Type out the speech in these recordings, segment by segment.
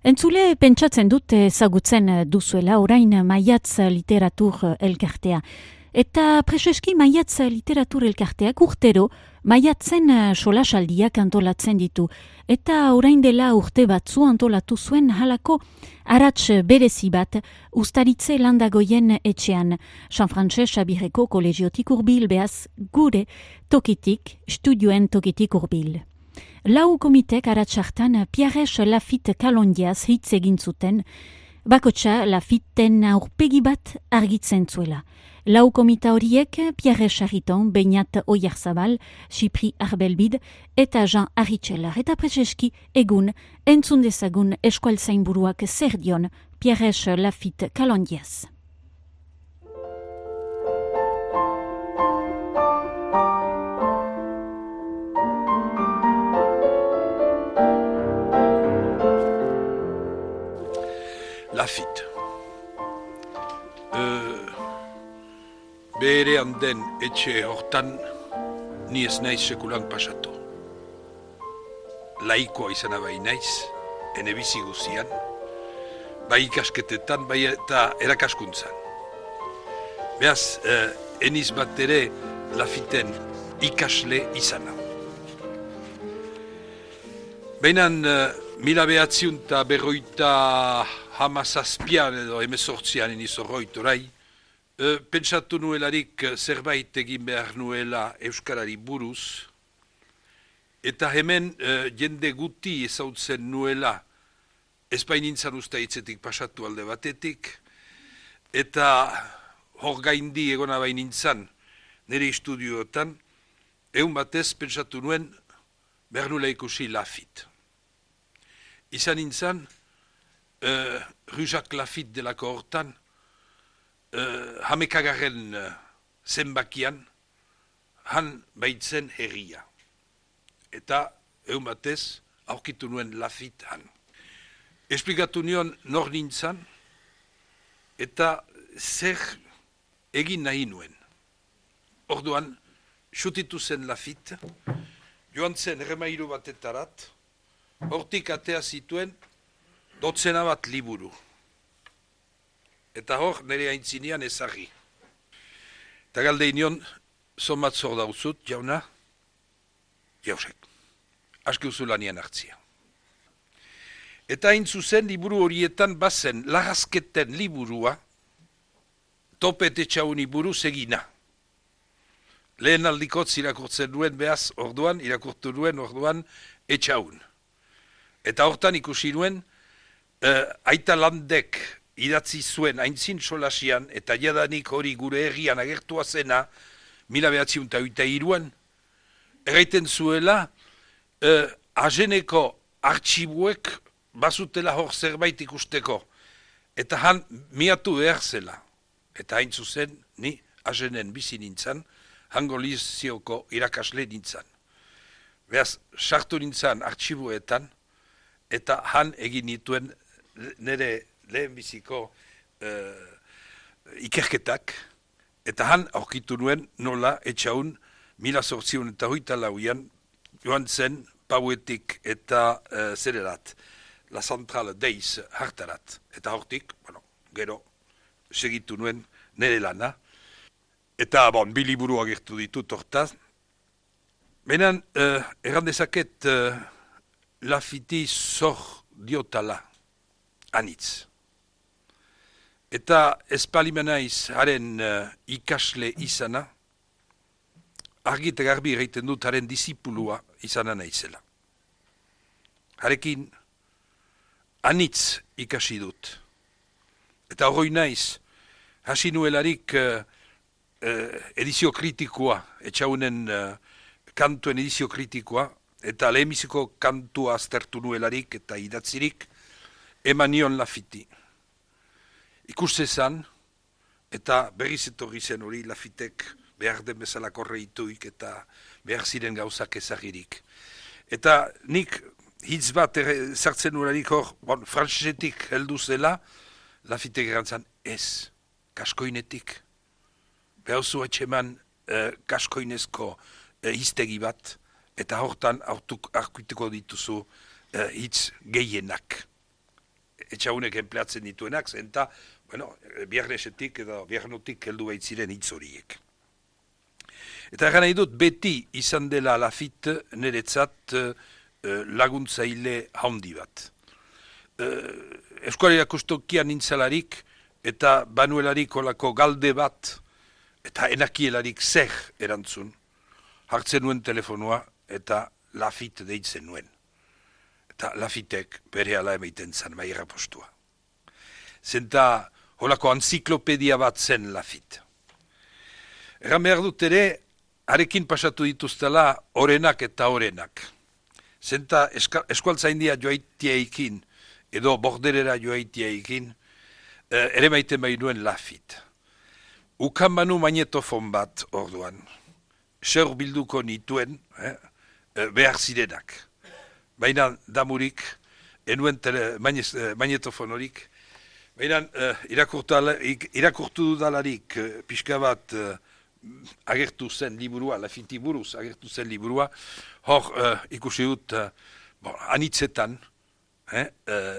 Entzule pentsatzen dut ezagutzen duzuela orain Maiatz Literatur Elkartea. Eta preseski Maiatz Literatur Elkarteak urtero Maiatzen solasaldiak antolatzen ditu. Eta orain dela urte batzu antolatu zuen halako arats berezi bat Uztaritze Landagoien etxean. San Frantses Abireko kolegiotik hurbil, behaz gure tokitik, studioen tokitik hurbil. Lau komitek aratsartan Pierres Lafitte kalondiaz hitz egin zuten, bakotsa Lafitten aurpegi bat argitzen zuela. Lau komita horiek Pierres Arriton, Beñat Oyarzabal, Xipri Arbelbid eta Jean Arritxelar. Eta preseski egun entzun dezagun eskualtzainburuak zer dion Pierres Lafitte kalondiaz. Lafitte. Berean den etxe hortan ni ez naiz sekulan pasatu. Laikoa izan bai naiz, ene bizi guzian, bai ikasketetan, bai eta erakaskuntzan. Beaz, eniz bat ere Lafitten ikasle izana. Beinan, 1957 edo 18 eniz horroit orai, pentsatu nuelarik zerbait egin behar nuela Euskarari buruz, eta hemen jende guti ezautzen nuela ezpain nintzan usta hitzetik pasatu alde batetik, eta hor gaindi egona bain nintzan nire estudioetan, egun batez pentsatu nuen behar nuela ikusi Lafitte. Izan nintzan, Rue Jacques Lafitte delako hortan, hamekagarren zenbakian, han baitzen herria. Eta, egun batez, aurkitu nuen Lafitte han. Esplikatu nion nor nintzan, eta zer egin nahi nuen. Orduan, xutitu zen Lafitte, joan zen remairu batetarat, hortik atea zituen, dotzena bat liburu. Eta hor, nire aintzinean ezagri. Eta galde inion, somat zor dauzut, jauna, jausek. Aski uzu lanian hartzia. Eta hain zuzen, liburu horietan bazen, lagazketen liburua, topet etxauni buruz egina. Lehen aldikotz irakurtzen duen behaz, orduan, irakurtu duen orduan, etxaun. Eta hortan ikusi nuen, Aita Landek idatzi zuen aintzin solasian, eta jadanik hori gure herrian agertua zena, 1983an, erraiten zuela, Ageneko artxibuek bazutela hor zerbait ikusteko, eta han miatu behar zela. Eta hain zuzen, ni Agenen bizi nintzan, hango lizioko irakasle nintzan. Beaz, sartu nintzan artxibuetan, eta han egin nituen nire lehenbiziko ikerketak, eta han aurkitu nuen nola etxaun 1834an joan zen Pauetik eta zererat, La Centrale Deiz hartarat. Eta hortik, gero segitu nuen nire lana. Eta, biliburu agertu ditut hortaz. Benen, errandezaket Lafitte zor diotala, anitz. Eta espalimenaiz haren ikasle izana, argi eta garbi egiten dut haren disipulua izana naizela. Harekin, anitz ikasi dut. Eta horroi naiz, hasi nuelarik edizio kritikoa, etxaunen kantuen edizio kritikoa, eta lehenbiziko kantua aztertu nuelarik eta idatzirik, eman nion Lafitte. Ikustezan, eta berriz etorri zen hori Lafittek behar den bezala korreituik eta behar ziren gauzak ezagirik. Eta nik hitz bat zartzen nuelarik hor, frantsesetik heldu zela, Lafittek erantzan ez, kaskoinetik. Behauzu etxeman kaskoinezko hiztegi bat, eta hortan arguituko dituzu hitz gehienak. etxaunek enpleatzen dituenak, zenta, bueno, biernesetik edo biernotik heldu baitziren hitz horiek. Eta egan nahi dut, beti izan dela Lafitte niretzat laguntzaile handi bat. Eskualera kustokian nintzalarik eta banuelarik olako galde bat eta enakielarik zer erantzun. Hartzen nuen telefonoa eta Lafitte deitzen nuen. Eta Lafittek bere ala emaiten zan maira postua. Zenta holako anziklopedia bat zen Lafitte. Egan behar dut ere, harekin pasatu dituztela orenak eta orenak. Zenta eskualtzaindia joaitiaikin edo borderera joaitiaikin ere maiten bainuen Lafitte. Ukan banu magnetofon bat orduan. Zer bilduko nituen behar zirenak. Baina damurik, enuen magnetofon horik, baina irakurtu dudalarik pixka bat agertu zen liburua, Lafitte buruz agertu zen liburua, hor ikusi dut anitzetan,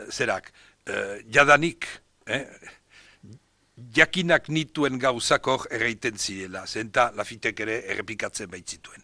zerak, jadanik, jakinak nituen gauzak hor erreiten zirela, zenta Lafittek ere errepikatzen baitzituen.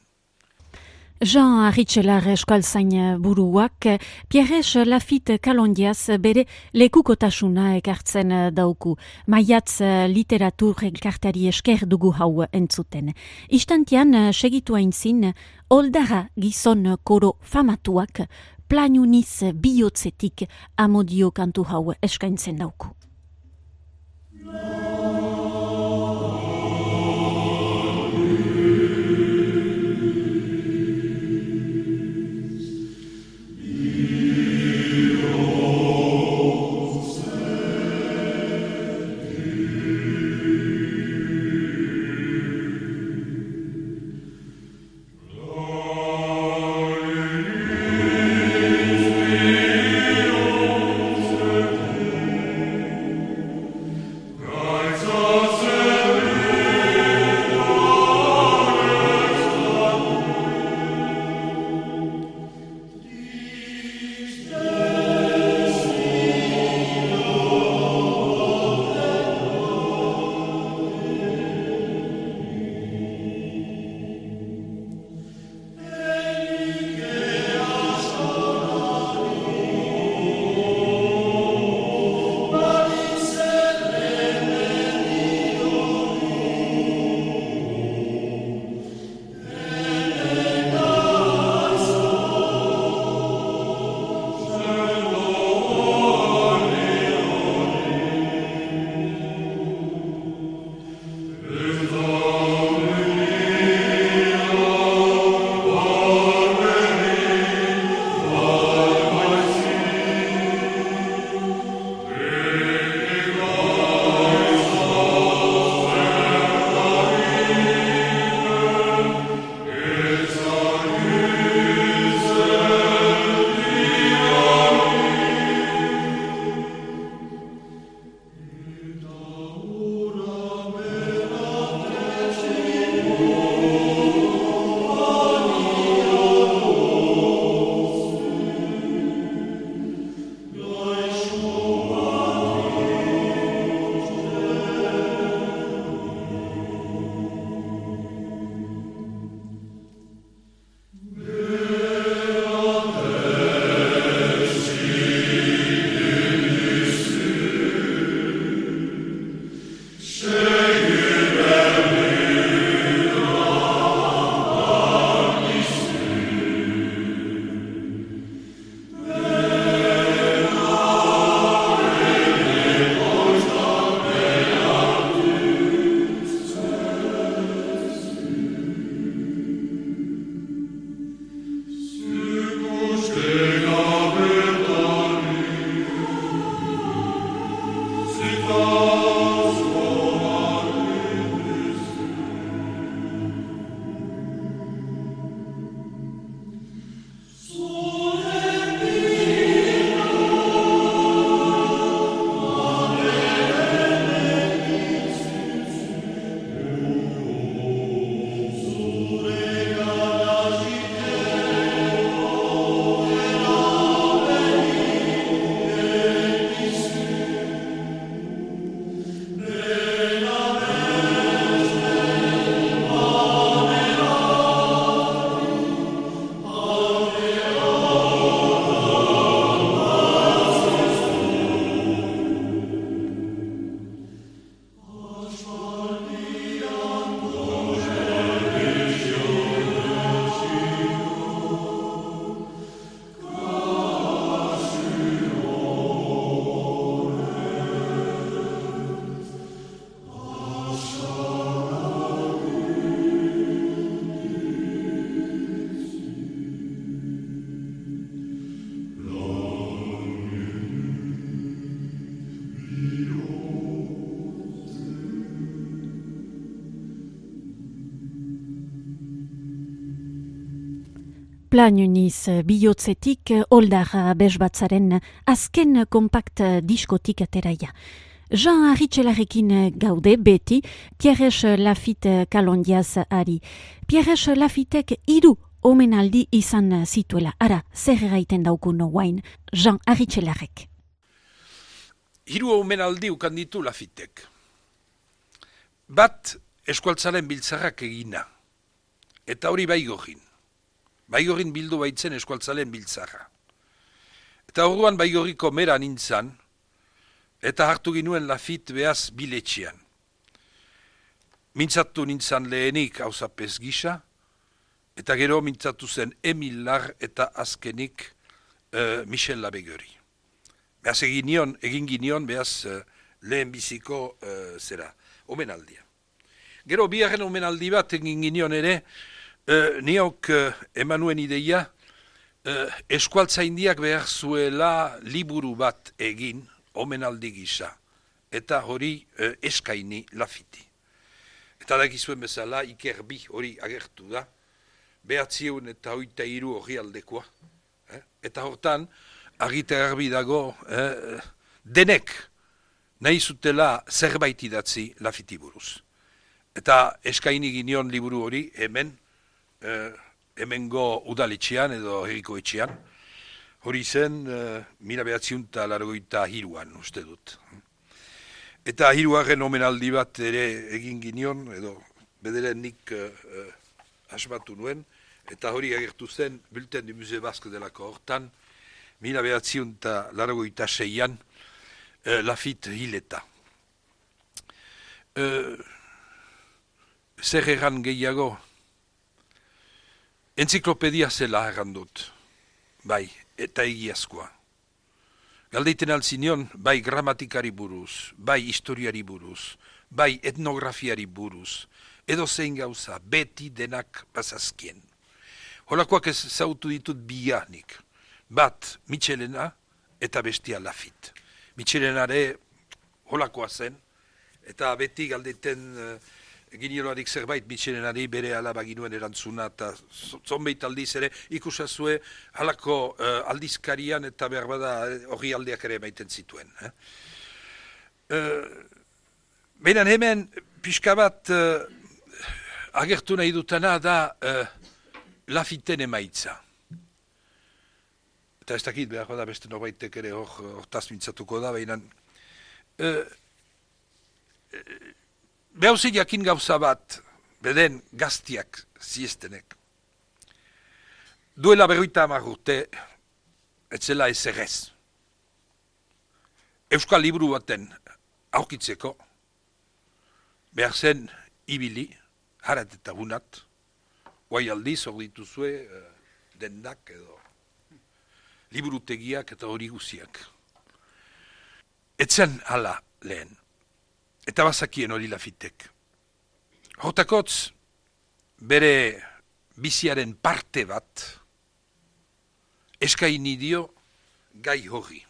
Jean Arritxelar eskualtzain buruak, Pierres Lafitte kalondiaz bere lekukotasuna ekartzen dauku. Maiatz literatur elkartari esker dugu hau entzuten. Istantian segitu aintzin, Oldara gizon koro famatuak, planuniz bihotzetik amodio kantu hau eskaintzen dauku. God Planuniz bihotzetik Oldar Besbatzaren azken kompakt diskotik ateraia. Jean Arritxelarekin gaude beti, Pierres Lafitte kalondiaz ari. Pierres Lafittek 3 omenaldi izan zituela. Ara, zer gaiten daukuno guain, Jean Arritxelarek. 3 omenaldi ukan ditu Lafittek. Bat, eskualtzaren biltzarrak egina. Eta hori Baigorrin. Baigorrin bildu baitzen eskualtzalen biltzarra. Eta orduan Baigorriko mera nintzan, eta hartu ginuen Lafitte behaz biletxean. Mintzatu nintzan lehenik hauzapez gisa, eta gero mintzatu zen Emil Lar eta azkenik Michel Labegori. Behaz egin ginion behaz lehen biziko omenaldia. Gero biharren omenaldi bat egin ginion ere, niok emanuen ideia, eskualtzaindiak behar zuela liburu bat egin, omenaldi gisa, eta hori eskaini Lafiti. Eta dakizuen bezala, Iker bi hori agertu da, 903 hori aldekoa. Eta hortan, argita garbi dago, denek nahi zutela zerbait idatzi Lafiti buruz. Eta eskaini ginion liburu hori hemengo udaletxean edo herriko etxean, hori zen 1983an uste dut. Eta 3. omenaldi bat ere egin ginion, edo bederen nik asmatu nuen, eta hori agertu zen Bulletin du Musée Basque delako hortan, 1986an Lafitte hileta. Zer erran gehiago? Enziklopedia zela errandut, bai, eta egiazkoa. Galdeiten altzinion, bai gramatikari buruz, bai historiari buruz, bai etnografiari buruz, edo zein gauza, beti denak bazazkien. Holakoak ez zautu ditut bianik. Bat, Michelena eta bestia Lafitte. Michelenare holakoa zen, eta beti galdeiten giniolarik zerbait Michelenari bere alaba ginuen erantzuna, eta zonbeit aldiz ere ikusazue halako aldizkarian eta behar bada hori aldeak ere maiten zituen. Behinan hemen pixka bat agertu nahi dutana da Lafitten emaitza. Eta ez dakit behar bada beste norbaitek ere hortaz mintzatuko da, behinan behauzi jakin gauza bat, beden gaztiak ziestenek. Duela 50 urte, etzela ezerrez. Euskal liburu baten aurkitzeko, behar zen ibili, harat eta bunat, guai aldiz hor dituzue dendak edo liburutegiak eta hori guziak. Etzen hala lehen. Eta bazakien hori Lafittek. Hortakotz, bere biziaren parte bat, eskaini dio gai hori.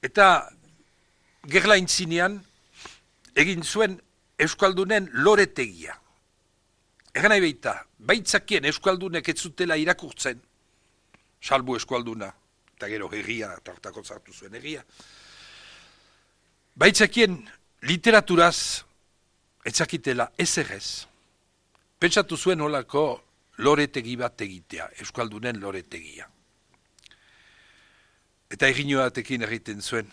Eta gerlaintzinean egin zuen Euskaldunen loretegia. Egan nahi baita, baitzakien Euskaldunek ez zutela irakurtzen, salbu Euskalduna, eta gero herria, eta hortakotz hartu zuen herria. Baitzakien literaturaz etzakitela ezerrez. Pentsatu zuen holako loretegi bat egitea, Euskaldunen loretegia. Eta eginoatekin egiten zuen,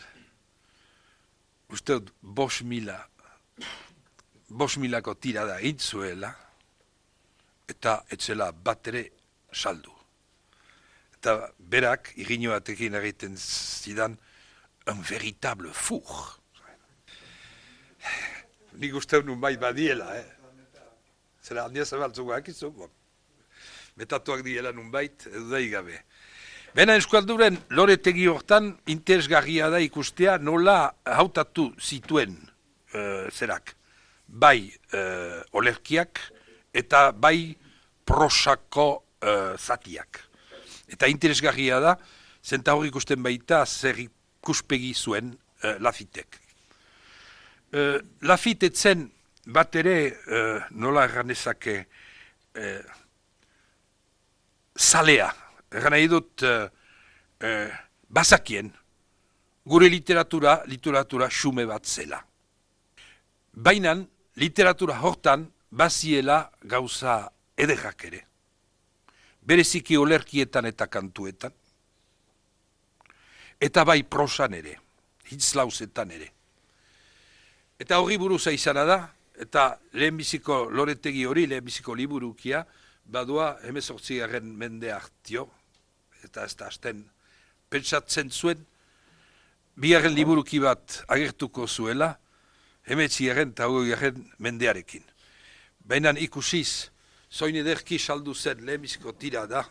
uste 5.000ko tirada intzuela, eta etzela bat ere saldu. Eta berak eginoatekin egiten zidan, un veritable four. Nik uste nun bai badiela, Zera handia zabaltzuak izu, metatuak diela nun bait, edo da igabe. Bena Euskalduren loretegi hortan interesgarria da ikustea nola hautatu zituen zerak. Bai olerkiak eta bai prosako zatiak. Eta interesgarria da, zenta hor ikusten baita zer ikuspegi zuen Lafittek. Lafitte etzen bat ere nola erranezake zalea. Egan nahi dut bazakien gure literatura xume bat zela. Baina literatura hortan baziela gauza ederrak ere. Bereziki olerkietan eta kantuetan. Eta bai prosan ere, hitzlauzetan ere. Eta hori buruza izana da, eta lehenbiziko loretegi hori, lehenbiziko liburukia, badua 18. mende hartio, eta ez da hasten pentsatzen zuen, bigarren liburuki bat agertuko zuela, 19. eta 20. mendearekin. Baina ikusiz, zoin ederki saldu zen lehenbiziko tira da,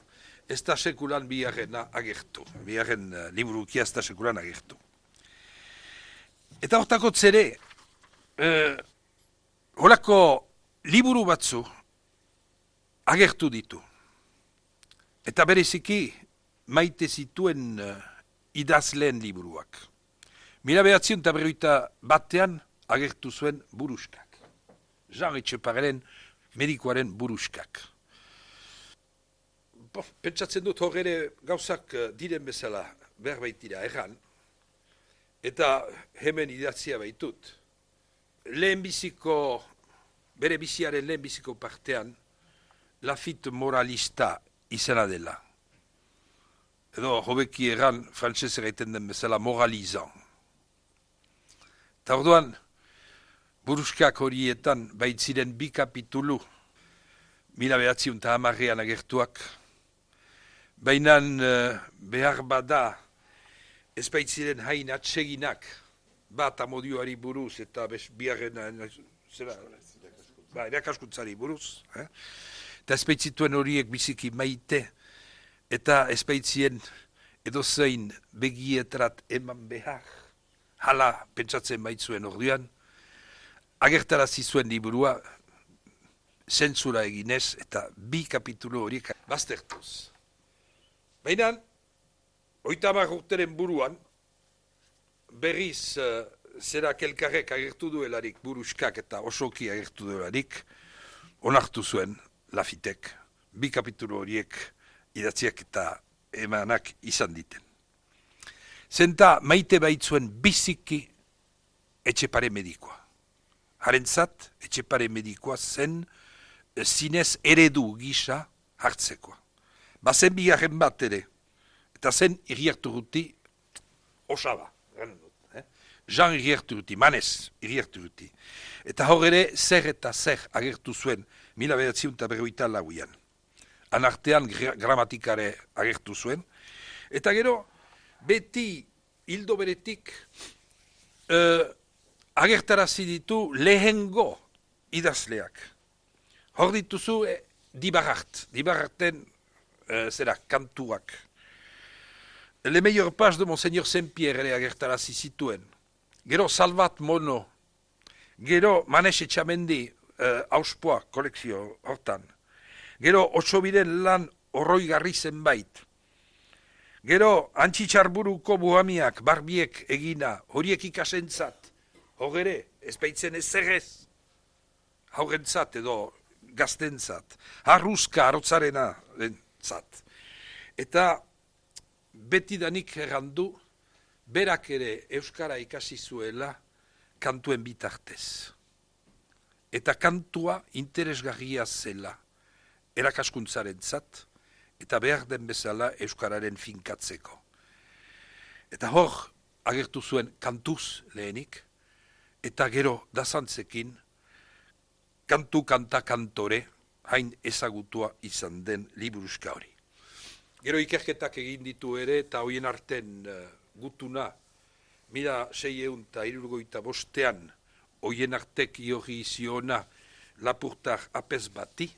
ez da sekulan bigarrena agertu. Bigarren liburukia ez da sekulan agertu. Eta hortako zere, holako liburu batzu agertu ditu. Eta bereziki maite zituen idazleen liburuak. 1951 agertu zuen buruskak. Jean Etxepareren medikoaren buruskak. Pentsatzen dut hor ere gauzak diren bezala behar baitira erran, eta hemen idatzia baitut. Bere biziaren lehenbiziko partean, Lafite moralista izena dela. Edo hobeki erran frantzez egiten den bezala moralizan. Eta orduan, buruskak horietan baitziren 2 kapitulu 1910 agertuak, baina behar bada ez baitziren hain atseginak bat amodioari buruz eta biharren erakaskuntzari buruz. Eta ez baitzituen horiek biziki maite eta ez baitzien edozein begietrat eman behar. Hala pentsatzen baitzuen orduan, agertarazi zuen liburua zentzura eginez eta 2 kapitulu horiek baztertuz. Baina, 30 urteren buruan, berriz zera kelkarrek agertu duelarik buruskak eta osoki agertu duelarik, onartu zuen Lafitek, 2 kapitulu horiek idatziak eta emanak izan diten. Zenta maite baitzuen biziki Etxepare medikoa. Harentzat, Etxepare medikoa zen zinez eredu gisa hartzekoa. Bazen bigarren bat ere, eta zen Iriarturuti osaba. Jean Iriarturuti, Manez Iriarturuti. Eta hor ere, zer eta zer agertu zuen 1954an. Anartean gramatikare agertu zuen. Eta gero, beti hildo beretik agertarazi ditu lehengo idazleak. Hor dituzu Dibararten kantuak. Le meilleur page de Monseigneur Saint-Pierre ere agertarazi zituen. Gero Salvat Mono, gero Manes Etxamendi auspoa kolekzio hortan. Gero Otsobiren lan horroigarri zenbait. Gero Antxitxarburuko buhamiak, barbiek egina, horiek ikasentzat. Hor ere, ez baitzen ezerrez. Haurentzat edo gaztentzat. Harruzka arotzarena zat. Eta betidanik errandu, berak ere euskara ikasi zuela kantuen bitartez. Eta kantua interesgarria zela erakaskuntzaren zat, eta behar den bezala euskararen finkatzeko. Eta hor agertu zuen kantuz lehenik, eta gero dazantzekin kantu kanta kantore hain ezagutua izan den liburuska hori. Gero ikerketak egin ditu ere, eta hoien arten gutuna, 1665 hoien artek iorri ziona lapurtar apez bati,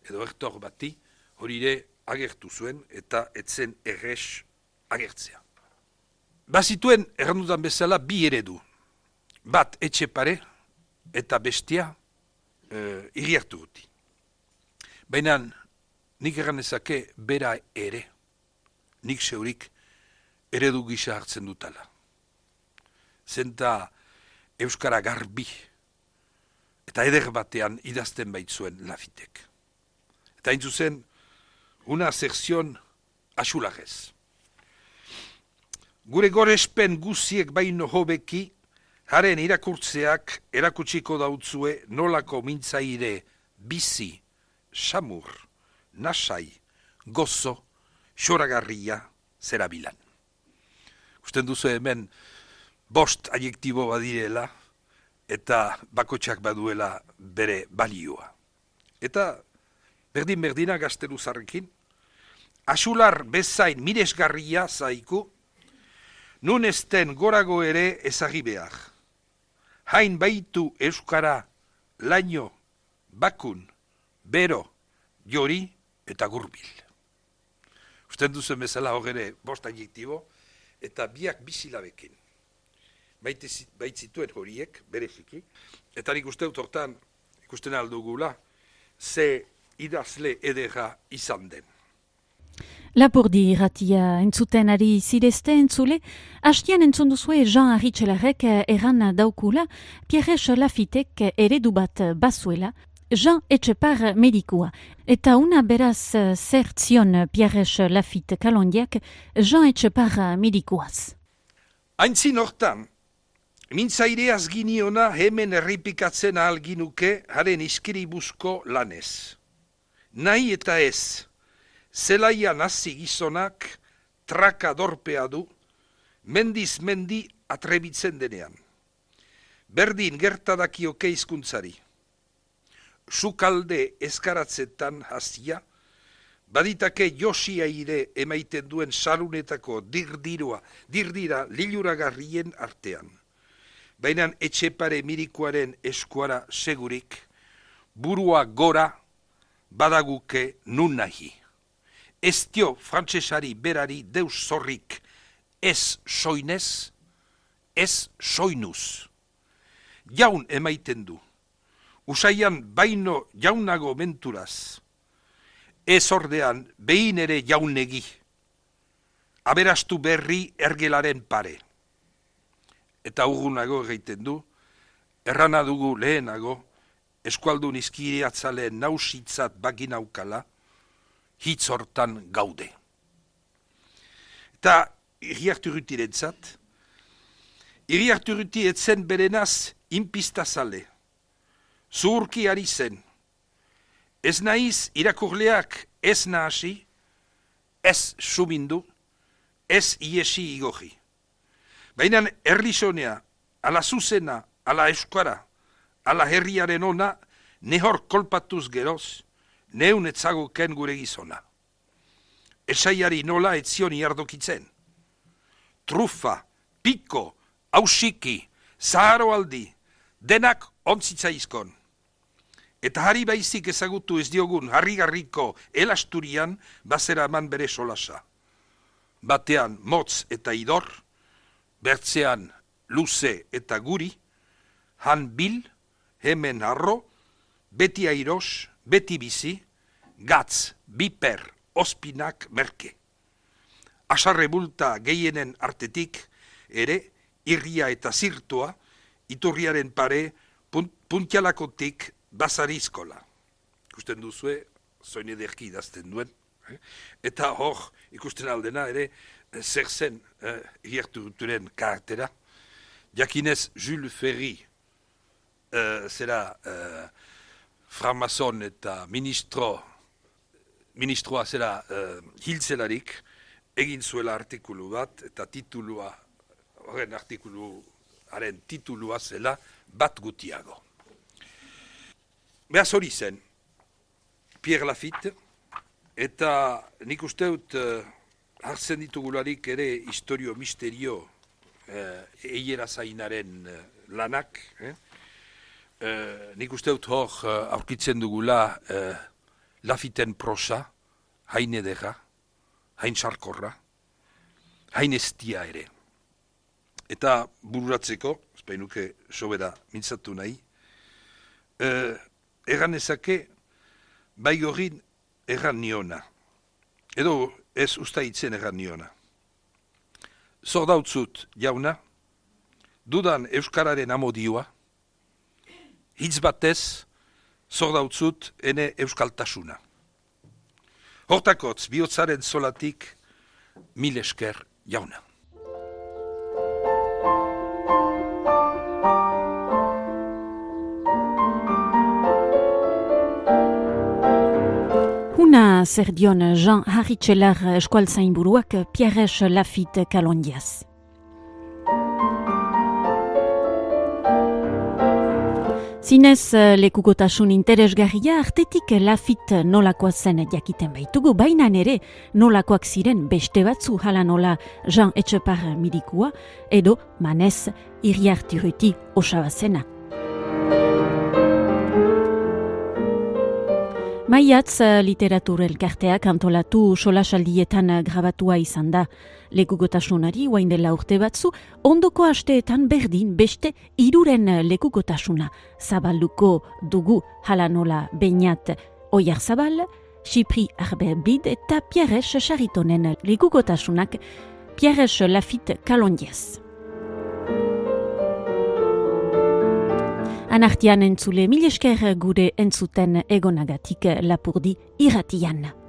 edo ertor bati, hori ere agertu zuen, eta etzen errez agertzea. Bazituen, errandudan bezala, 2 eredu. Bat Etxepare, eta bestia Iriarturuti. Baina, nik erranezake bera ere, nik zeurik eredu gisa hartzen dutala. Zenta euskara garbi, eta eder batean idazten baitzuen Lafitek. Eta hain zuzen, una aserzion asularez. Gure gorespen guziek baino hobeki, haren irakurtzeak erakutsiko dautzue nolako mintzaire bizi, samur, nasai, gozo, xoragarria zerabilan. Usten duzu hemen bost adjektibo badirela eta bakotxak baduela bere balioa. Eta berdin-berdina gazteluzarrekin, asular bezain miresgarria zaiku, nun esten gorago ere ezagi behar. Hain baitu euskara laino, bakun, bero, jori eta gurbil. Usten duzen bezala hogere bost adjektibo, eta biak bizilabekin. Baitzituen horiek, bereziki, eta nik uste dut hortan, ikusten aldugula, ze idazle edera izan den. Lapurdi irratia entzuten ari zirezte entzule, hastian entzun duzue Jean Arritxelarek erran daukula, Pierre Lafitek eredu bat bazuela, Jean Etxepar medikua. Eta una beraz zertzion Pierre Lafitte kalondiak Jean Etxepar medikuaz. Aintzin hortan, mintzaireaz giniona hemen erripikatzen ahal ginuke haren iskiribuzko lanez. Nahi eta ez, zelaian hasi gizonak traka dorpea du, mendiz mendi atrebitzen denean. Berdin gertadakioke hizkuntzari. Sukalde eskaratzetan hasia, baditake josia ire emaiten duen salunetako dirdira liluragarrien artean. Baina Etxepare mirikuaren eskuara segurik, burua gora badaguke nun nahi. Ez dio frantsesari berari deus zorrik, ez soinez, ez soinuz. Jaun emaiten du, usaian baino jaunago menturaz, ez ordean behin ere jaunegi, aberastu berri ergelaren pare. Eta urgunago egiten du, errana dugu lehenago, eskualdun izkiriatzaleen nausitzat baginaukala, hitz hortan gaude. Eta Iriarturrutirentzat, Iriarturruti etzen berenaz inpistazale, zuhurki ari zen, ez naiz irakurleak ez nahasi, ez sumindu, ez iesi igoji. Baina erlizonea, ala zuzena, ala euskara, ala herriaren ona, nehor kolpatuz geroz, neun etzagoken gure gizona. Esaiari nola etzion iardokitzen. Trufa, piko, hausiki, zaharoaldi, denak ontzitzaizkon. Eta harri baizik ezagutu ez diogun harrigarriko elasturian bazera eman bere solasa. Batean motz eta idor, bertzean luze eta guri, han bil, hemen harro, beti airos, beti bizi, gatz, biper, ospinak merke. Asarre bulta gehienen artetik, ere, irria eta zirtua, iturriaren pare, puntialakotik bazarizkola. Ikusten duzue, zoin ederki idazten duen. Eta hor, ikusten aldena ere, zer zen Iriarturrutiren karaktera. Jakinez, Jules Ferry, zera franmason eta ministroa zera hiltzelarik, egin zuela artikulu bat, eta titulua, horren artikuluaren titulua zela, bat gutiago. Behaz hori zen, Pierre Lafitte, eta nik usteut hartzen ditugularik ere historio misterio eiera zainaren lanak, nik usteut hor aurkitzen dugula Lafitten prosa, hain edera, hain sarkorra, hain estia ere. Eta bururatzeko, espainuke sobera mintzatu nahi, erran ezake bai horin erran niona, edo ez usta hitzen erran niona. Zor dautzut, jauna, dudan euskararen amodioa, hitz batez, zor dautzut ene euskaltasuna. Hortakotz, bihotzaren zolatik, mil esker jauna. Huna zer dion Jean Harritxelar eskualtzainburuak Pierres Lafitte Kalondiaz. Zinez lekukotasun interesgarria artetik Lafitte nolakoa zen jakiten baitugu, baina ere nolakoak ziren beste batzu hala nola Jean Etxepar Mirikua edo Manez Iriartiruti Osabazena. Maiatz literatur elkarteak antolatu solasaldietan grabatua izan da. Lekukotasunari oain dela urte batzu, ondoko asteetan berdin beste 3 lekukotasuna. Zabalduko dugu hala nola Beñat Oyarzabal, Xipri Arberbid eta Pierres Charitonen lekukotasunak Pierres Lafitte Kalondiaz. Anartian entzule, mil esker gure entzuten egonagatik Lapurdi irratian.